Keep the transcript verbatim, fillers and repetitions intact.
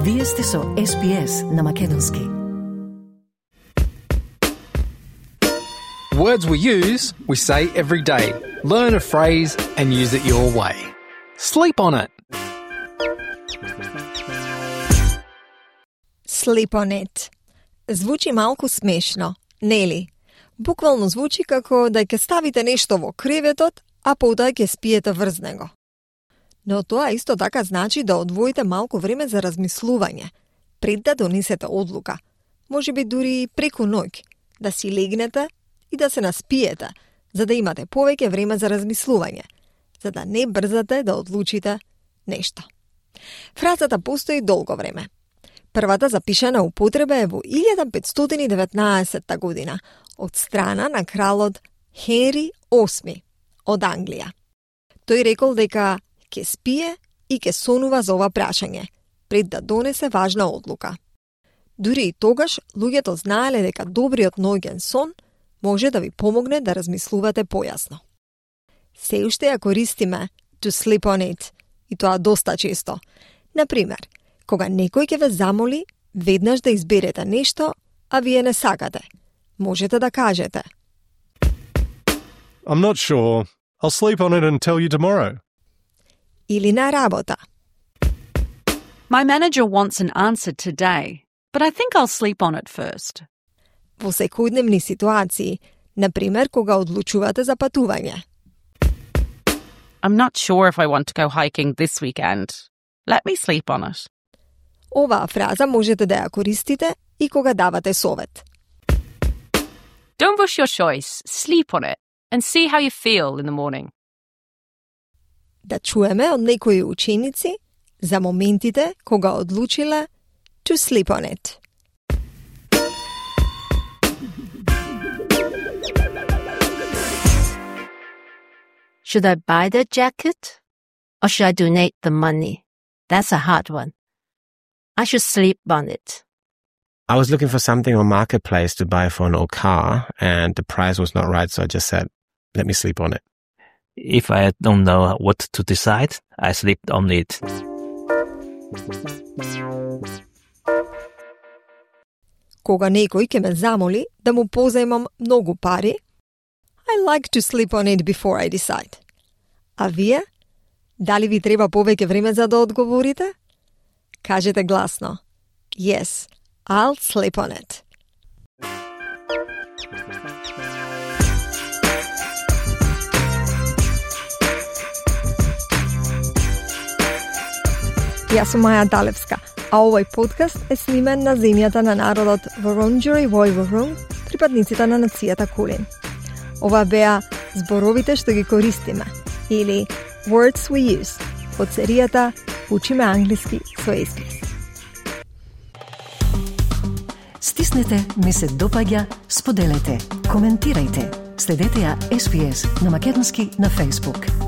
Вие сте со Ес Би Ес на македонски. Words we use, we say every day. Learn a phrase and use it your way. Sleep on it. Sleep on it. Звучи малку смешно, нели? Буквално звучи како да ќе ставите нешто во креветот, а потоа ќе спиете врз него. Но тоа исто така значи да одвоите малку време за размислување, пред да донесете одлука. Може би дури преку ноќ, да си легнете и да се наспиете, за да имате повеќе време за размислување, за да не брзате да одлучите нешто. Фразата постои долго време. Првата запишана употреба е во илјада петстотини и деветнаесетта година од страна на кралот Хенри осми од Англија. Тој рекол дека ќе спие и ќе сонува за ова прашање, пред да донесе важна одлука. Дури и тогаш, луѓето знаеле дека добриот ноќен сон може да ви помогне да размислувате појасно. Се уште ја користиме to sleep on it, и тоа доста често. Например, кога некој ќе ве замоли веднаш да изберете нешто, а вие не сакате, можете да кажете I'm not sure. I'll sleep on it and tell you tomorrow. Или на работа. My manager wants an answer today, but I think I'll sleep on it first. Во секојдневни ситуации, например кога одлучувате за патување. I'm not sure if I want to go hiking this weekend. Let me sleep on it. Оваа фраза можете да ја користите и кога давате совет. Don't rush your choice. Sleep on it and see how you feel in the morning. Да чуеме од некои ученици за моментите кога одлучиле to sleep on it. Should I buy the jacket or should I donate the money? That's a hard one. I should sleep on it. I was looking for something on Marketplace to buy for an old car, and the price was not right, so I just said, let me sleep on it. If I don't know what to decide, I sleep on it. Кога некој ќе ме замоли да му позајмам многу пари, I like to sleep on it before I decide. А вие? Дали ви треба повеќе време за да одговорите? Кажете гласно. Yes, I'll sleep on it. Јас сум Маја Далевска, а овој подкаст е снимен на земјата на народот Wurundjeri Woi-wurrung, припадниците на нацијата Кулин. Ова беа зборовите што ги користиме, или Words we use, од серијата Учиме англиски со Ес Би Ес. Стиснете, ми се допаѓа, споделете, коментирајте. Следете ја Ес Би Ес на македонски на Facebook.